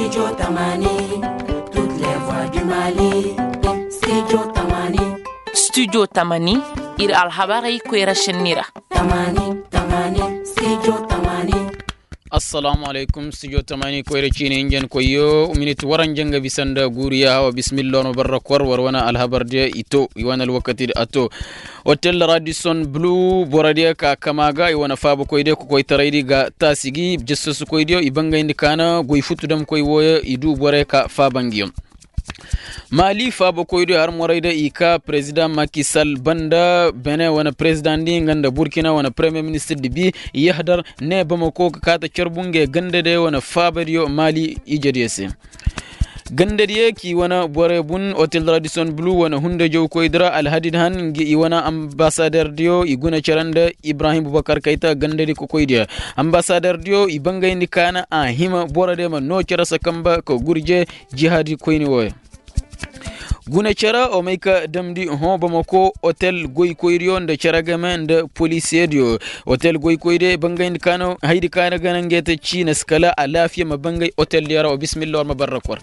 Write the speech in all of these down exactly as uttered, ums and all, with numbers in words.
Studio tamani, ir alhabarey koyra šenni ra. Assalaamu alaykum. Studio tamani koyra ciini hinjankoyyo minit waranja nga bisa nda guuriya hawa bismillah no barra kor war wane alhabardiyo i to i wane alwakatidi a to. Otel radison bulu borodiyo ka kama ga i wane faabakoydiyo kokoytaraydi ga taasi gi jasasukoydiyo i bangayndi kaana goy futu damkoy wooyo i du borey ka faaba ngiyo. Maali faabakoydiyo har morayda i ka perezidaŋ makisal banda bene wane perezidaŋdi nga nda burkina wane premiyer ministirdi bi i yahadar ne bamako ka kaata carbu nga gandadiyo wane faabadiyo maali ijediyo se. Gandadiyo k'i wane borey bun otel radison bulu wane hundajawkoydi ra alhadid han nga i wane ambasaderdiyo i guna cere nda ibrahim bubakar kayta gandadi kokoydiyo. Ambasaderdiyo i bangayndi kaana a hima borodiyo ma noo cere sakamba ka gurje jihadi koyni wooyo. Guna cere o may ka damndi hõ bamako otel goykoydiyo nda cere game nda polisiyediyo. Otel goykoydiyo i bangayndi kaana haydi kaana gana ngey te ciina si kala alaafiya ma bangay oteldiyo ra wa bismillah war ma barra kor.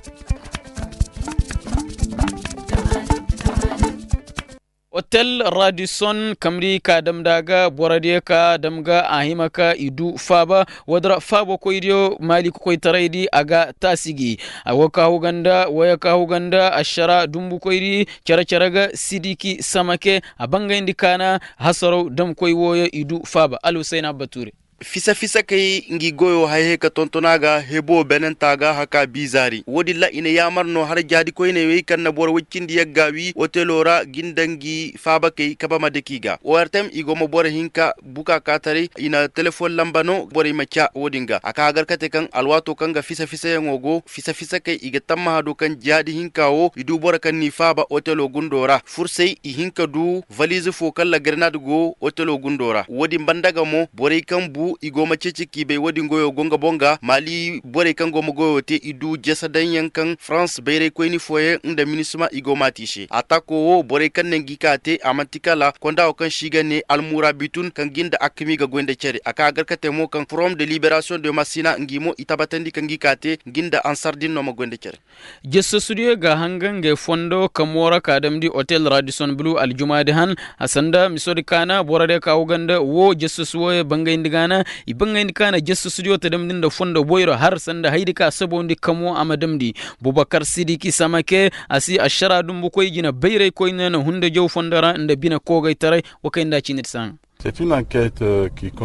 Otel radison kamri ka damndi a ga borodiyo ka dam ga a hima ka i du faaba woodi ra faabakoydiyo maali kokoytaraydi a ga taasi gi. Wo ka huganda woyo ka huganda ašara dumbukoydi cere-cere ga sidiki samake a bangayndi kaana hasaraw damkoy wooyo i du faaba alhusayna bature. Fisa-fisa kay ngi goyo hayhay ka tonton a ga hebo benenta ga haka biizaari woodin ra i na yaamar no har jaadikoyney wey kaŋ na boro woy cindi yagga wi otelo ra ga nda ngi faabakey kabe ma dake i ga ortem i go ma boro hinka buka kaataray i na telefoŋ lamba no borey ma ca woodin ga a ka gar kate kaŋ alwaato kaŋ ga fisa-fisayaŋo go fisa-fisa kay i ga tammaha do kaŋ jaadi hinka wo i du boro kaŋ n'i faaba otelo gundo ra fursay i hin ka du valiize fo kaŋ ra garnaad go otelo gundo ra woodin banda ga mo borey kaŋ bu i go ma ceeci k'i bay woodin goyo go nga boŋ ga maali borey kaŋ go ma goyo te i du jese daŋyaŋ kaŋ farans bayraykoyni fooyaŋ nda minisma i go m'a te i se ataako wo borey kaŋ na ngi ka te a man'ti kala konda wo kaŋ se i ga ne almura bitun kaŋ gi nda akami ga goy nda care a ka gar ka te mo kaŋ forom de liberasiyoŋ de masina ngi mo i tabatandi kaŋ gi ka te ngi nda ansar din no ma goy nda care. Jasasudiyo ga hanga ngey fondo kamo ra ka damndi otel radison bulu aljumaadi han a sanda misodi kaana borodiyo ka huganda wo jasasu wooyo bangayndi gaana i bangayndi kaana jasasudiyo ta damndi nda fondo boyro har sanda haydi ka sabawndi kamo a ma damndi. Bubakar sidiki samake a si ašara dumbukoy jina bayraykoyne na hunda jaw fondo ra nda bine koogaytaray. Wa kay nda a ciinir saŋa.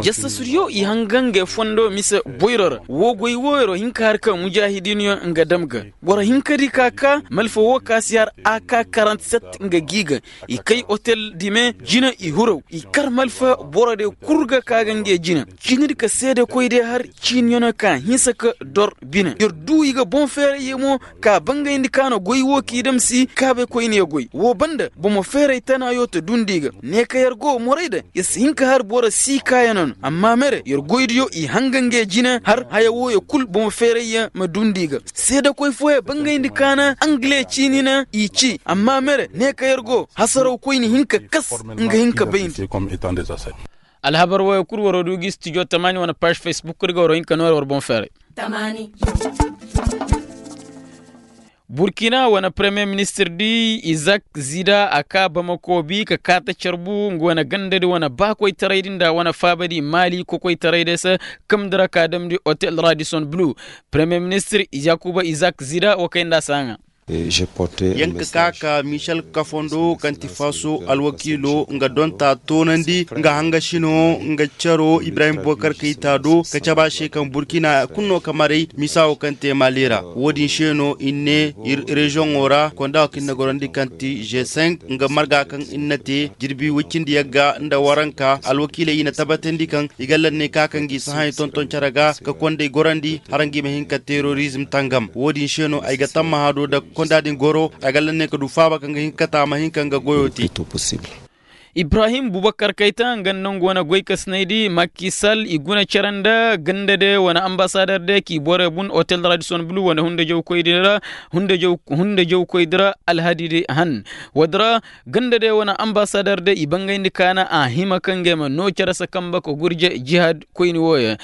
Jassasudiyo i hanga ngey fondo mise boyro ra woo goy wooyro hinka har ka mujaahidiiniyo nga dam ga. Boro hinkadi ka ka malfa woo ka si har a ka karantiset nga g'i ga i kay otel dime jina i huraw i kar malfa borodiyo kul ga ka ga ngey jina. Ciinidi ka seedekoydiyo har ciiniyanoo ka hinsa ka dor bine yer duu i ga boŋ feerayye mo ka bangayndi ka na goy woo k'i damsi kaabaykoyniyo goy woo banda bomo feeray tanaayo ta dundi i ga. Ne ka yer go morayda yer si hin ka har boro sii kaayanoo no amma mere yer goydiyo i hanga ngey jine har haya wooyo kul bomo feerayye ma dundi i ga. Seedakoy fooyo bangayndi ka na angile ciini na i ci amma mere ne ka yer go hasarawkoyni hin ka kas nga hin ka bayndi. Alhabar wooyo kul waroo duu gi studio tamaani wane paaz facebook di ga waroo hin ka noore war boŋ feeray. Burkina wane premiyer ministir di izak zida a kaa bamako bi ka kaata carbu nga wane gandadi wane baakoytaray di nda wane faabadi maali kokoytaray di se. Kamndi ra ka damndi otel radison bulu premiyer ministir yakuba izak zida wa kay nda a saaŋa. Yaŋ ka kaa ka michel kafondo kaŋ ti faso alwakiilo nga donta toonandi nga hangasino nga caro ibrahim bokar kayta do ka cabe a se kaŋ burkina kulu no ka maray misa wo kaŋ te mali ra. Wo-din se no i ne ir reziyoŋo ra konda wo kaŋ ir na gorandi kaŋ ti g cinq nga marga kaŋ ir na te jirbi woy cindi yagga nda waranka alwakiiley i na tabbatandi kaŋ i ga lanney ka kaŋ gi sahaɲey tonton care ga ka kondey gorandi hara ngi ma hin ka terorizm tangam. Wo-din se no ay ga tammaha do da konda din goro ay ga lanney ka du faaba kaŋ ga hin ka taama hin kaŋ ga goyo te. Ibrahim bubakar kayta nga nda nga wane goykasinay di makisal i guna cere nda ganda de wane ambasadar de k'i borey bun otel radison bulu wane hundajawkoy di ra alhadi di han. Woodi ra ganda de wane ambasadar de i bangayndi kaana a hima ka ngey ma noo cere se kamba ka gurje jihad koyni wooyo.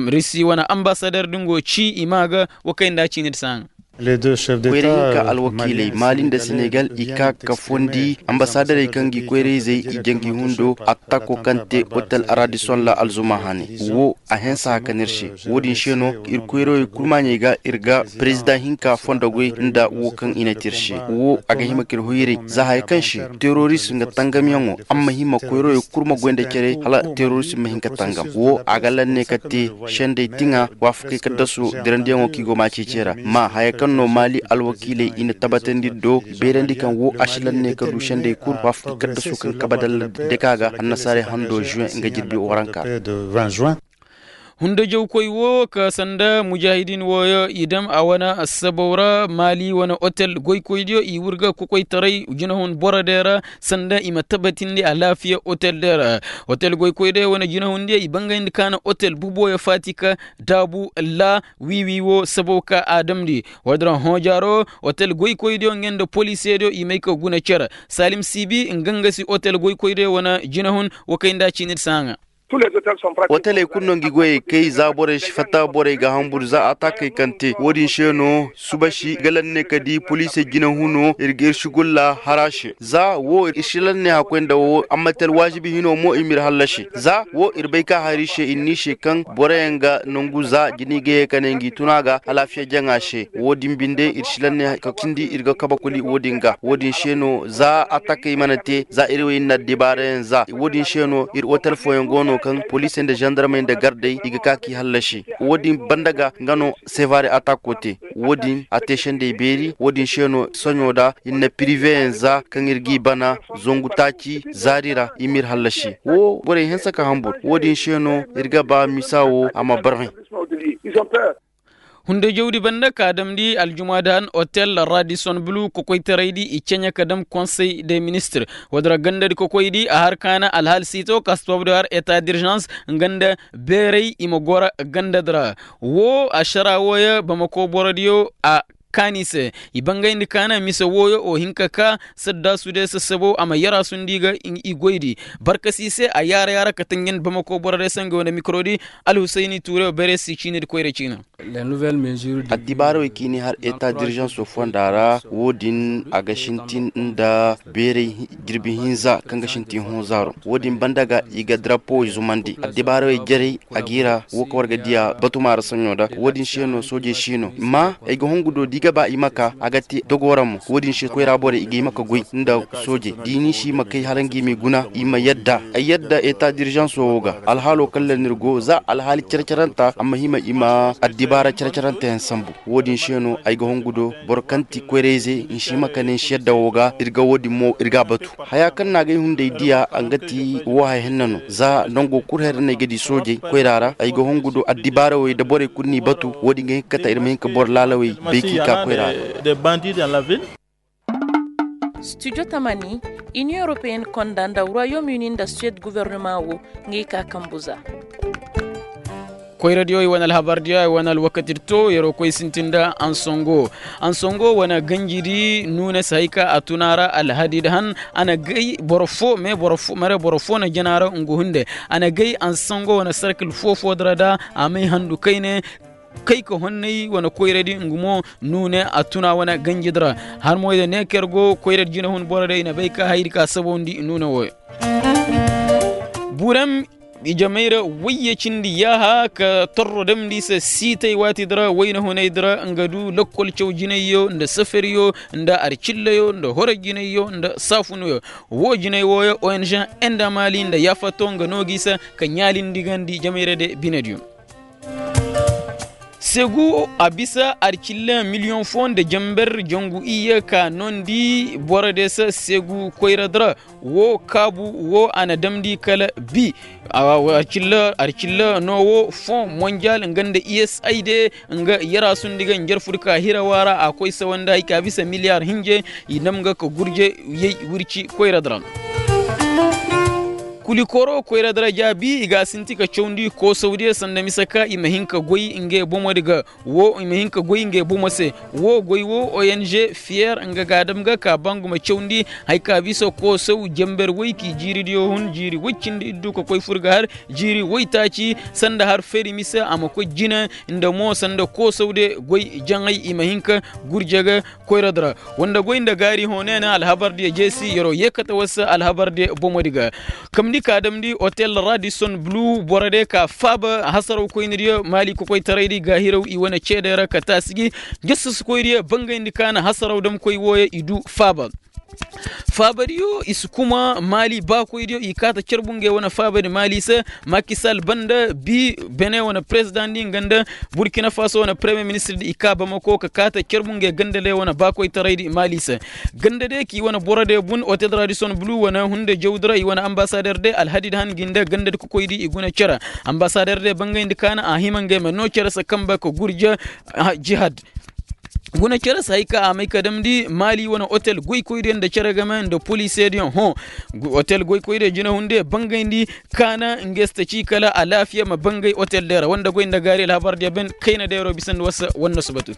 Risi wane ambasadar di ngo ci i maa ga. Wa kay nda a ciini di se haŋa. Koyra hinka alwakiiley maali nda senegal i kaa ka fondi ambasadarey kaŋ ga i koyrayzey i jangi hundo attako kaŋ te otel aradison ra alzuma hane. Wo a hanse haka no ir se. Wo-din se no ir koyrawey kul maaɲey ga ir ga perezidaŋ hinka fondogoy nda wo kaŋ i na te ir se. Wo a ga hima ka ir hoyray za haya kaŋ se teroris nga tangamyaŋo a ma hima koyrawey kul ma goy nda care hala teroris ma hin ka tangam wo a ga lanne ka te sendey tiŋa waafakey kaddasu dirandiyaŋo kaŋ i go ma ceeci ra. Ma haya kaŋ no maali alwakiiley i na tabatandi ir do beerandi kaŋ wo a si lanne ka du sendey kul waafakey kaddasu kaŋ kaba dalla deka ga annasaarey hando juwen nga jirbi waranka. Hundajawkoy wo ka sanda mujaahidiin wooyo i dam a wane sabaw ra maali wane otel goykoydiyo i wurga kokoytaray jinahun borodiyo ra sanda i ma tabatindi alaafiya otel diyo ra. Otel goykoydiyo wane jinahundiyo i bangayndi kaana otel bubooyo faati ka daabu laa wiiwi wo sabaw ka a damndi. Woodin ra hõojaaro otel goykoydiyo nga nda poliisediyo i may ka guna cere. Saalim siibi nga nga si otel goykoydiyo wane jinahun. Wa kay nda a ciini di se haŋa. Oteley kulu no ngi goyey kay za borey si fatta borey ga hambur za ataakey kaŋ te wo-din se no suba si ga lanne ka di poliisey jinahuno ir ga ir sugulla har a se za wo ir si lanne hakkoy nda wo amma te alwaazibi hino mo i m'ir hallasi za wo ir bay ka har ir se ir n'i se kaŋ boroyaŋ ga nangu za jinay ga ye ka ne ngi tun a ga alaafiya jaŋa se wo-din binde ir si lanne ka cindi ir ga kabe kuli wo-din ga wo-din se no za ataakey mana te za ir wo ir na addibaarayaŋ za wo-din se no ir otel fooyaŋ go no kaŋ poliisey nda zandarmey nda gardey i ga ka k'i hallasi. Wo-din banda ga nga no sevare ataako te. Wo-din a te sendey beeri wo-din se no soɲo da ir na piriveyaŋ za kaŋ ir g'i bana zangu taaci zaari ra i m'ir hallasi wo borey hanse ka hambur wo-din se no ir ga ba misa wo a ma barhẽ. Hundajawdi banda ka damndi aljumaada han otel radison bulu kokoytaraydi i ceɲe ka dam konsey de ministir. Woodin ra gandadi kokoydi a har kaana alhaali siito ka si toobu di har eta dirzans nga nda beeray i ma goro gandadi ra. Wo ašara wooyo bamako borodiyo a kaani se i bangayndi kaana mise wooyo o hin ka ka saddaasu de sassabo a ma yaraasu nda i ga i goydi barkasi se a yaara yaara ka tanjandi bamako borodiyo se nga wane mikorodi. Alhusayni tuureyo beerey si ciini di koyra ciina. Addibaara wey kaŋ i n'i har eta dirzanso fonda ra wo-din a ga sintin nda beeray jirbi hinza kaŋ ga sintin hõ zaaro wo-din banda ga i ga darapo zumandi addibaara wey jarey a g'i ra wo kaŋ war ga diya batuma ra saɲo da wo-din se no soojey si no ma ay ga hungu do da i ga ba i ma ka a ga te dogo ra mo wo-din se koyra borey i ga i ma ka goy nda soojey da i n'i si i ma kay hala nga i m'i guna i ma yadda ay yadda eta dirzanso wo ga alhaalo kaŋ ra no ir go za alhaali care-caranta a ma hima i ma addibaara care-caranteyaŋ sambu. Wo-din se no ay ga hungu do boro kaŋ ti koyrayze nsi ma kane nsi yadda wo ga ir ga wo-din mo ir g'a batu. Haya kaŋ na agay hunday diya a nga ti wo haya henna no za nango kul haya ra no ay ga di soojey koyra ra ay ga hungu do addibaara wey da borey kul n'i batu wo-din ga hin ka kate ir ma hin ka boro laalawey bay k'i ka koyra ra. Studio tamani, inion europeyenne konda nda royaume uni nda suwed guvernema wo ngey ka kambu za. Koyradiyo i wane alhabardiyo i wane alwakatidi to yeroo koy sintin nda ansongo. Ansongo wane ganjidi nuune si hay ka a tun a ra alhadidi han a na gay boro foo me boro foo mere boro foo na jana ra ngu hunde. A na gay ansongo wane sarkil foo-foodi ra da a may handu kayne kay ka honnay wane koyradi ngu mo nuune a tun a wane ganjidi ra. Har mo i da ne kaŋ yer go koyradi jinahun boro day i na bay ka hayadi ka sabawndi nuune wooyo. Burem ijamay ra wayye cindi yaaha ka torro damndi se siitay waatidi ra wayna hunaydi ra nga du lakkol caw jinayyo nda safariyo nda arcillayoo nda horo jinayyo nda saafunuyo. Woo jinay wooyo ong enda maali nda yaafato nga noo gi se ka ɲaalindi gandi jamay ra de binediyo. Segu a bisa arcilla miliyoŋ foo nda jamber jangu iyye ka noondi boro deesa segu koyradi ra. Woo kaabu woo a na damndi kala bi. Arcilla no woo foo monjal nga nda usaid nga yaraasundi ga njarfudi ka hirawa ra a koy sawandi hay ka bisa miliyar hinje. I nam ga ka gurje yay wirci koyradi ra. Kulikoro koyra daraja bi i ga a sinti ka cawndi koosawdiyo sanda mise ka i ma hin ka goy ngey bomodi ga. Wo i ma hin ka goy ngey bomo se. Wo goy wo ong fiyer nga ga a dam ga ka bangu ma cawndi haya ka bisa koosaw jenber woy k'i jiiridiyo hun jiiri woy cindi iddu ka koy fur ga har jiiri woytaaci sanda har feri mise a ma koy jina nda mo sanda koosawde goy jaŋay i ma hin ka gurje ga. Koyra dira wanda goy nda gaari hõ ne na alhabardiyo jeesi yer'o yee kate war se alhabardiyo bomodi ga. Kamndi ka damndi otel radison bulu borodiyo ka faaba hasaraw koynidiyo maali kokoytaraydi gaahiraw i wane ceedey ra ka taasi gi. Jasasukoydiyo bangayndi ka na hasaraw damkoy wooyo i du faaba. Faabadiyo i si kuma maali baakoydiyo i kaata carbu ngey wane faabadi maali se. Makisal banda bi bene wane perezidaŋ di nga nda burkina faso wane peremiyer ministir di i kaa bamako ka kaata carbu ngey gandadiyo wane baakoytaraydi maali se. Gandadiyo k'i wane borodiyo bun otel radison bulu wane hunde jawdi ra i wane ambasader de alhadid han gi nda gandadi kokoydi i guna cere. Ambasader de bangayndi ka na a hima ngey ma noo cere se kamba ka gurja jihad. Guna cere se hay ka a may ka damndi maali wane otel goykoydiyo nda cere game nda poliisediyo hõ. Otel goykoydiyo jinahundiyo bangayndi ka na ngey si ta ci kala alaafiya ma bangay otel diyo ra wanda goy nda gaari alhabardiyo ben kayna deeroo bisandi war se war na si batu.